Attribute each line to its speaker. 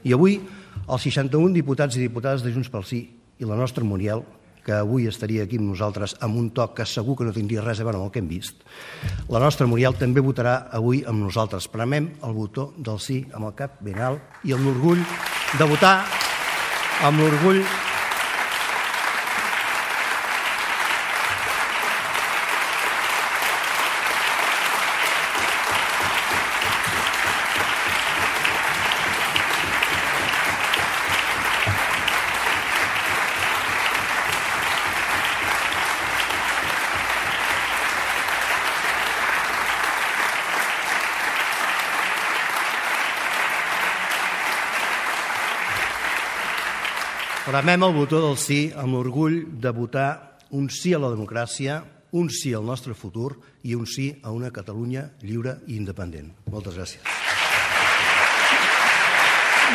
Speaker 1: I avui, els 61 diputats i diputades de Junts pel Sí i la nostra Muriel, que avui estaria aquí amb nosaltres amb un toc que segur que no tindria res a veure amb el que hem vist, la nostra Muriel també votarà avui amb nosaltres. Premem el botó del sí amb el cap ben alt i amb l'orgull de votar amb l'orgull Premem el botó del sí amb l'orgull de votar un sí a la democràcia, un sí al nostre futur i un sí a una Catalunya lliure i independent. Moltes gràcies.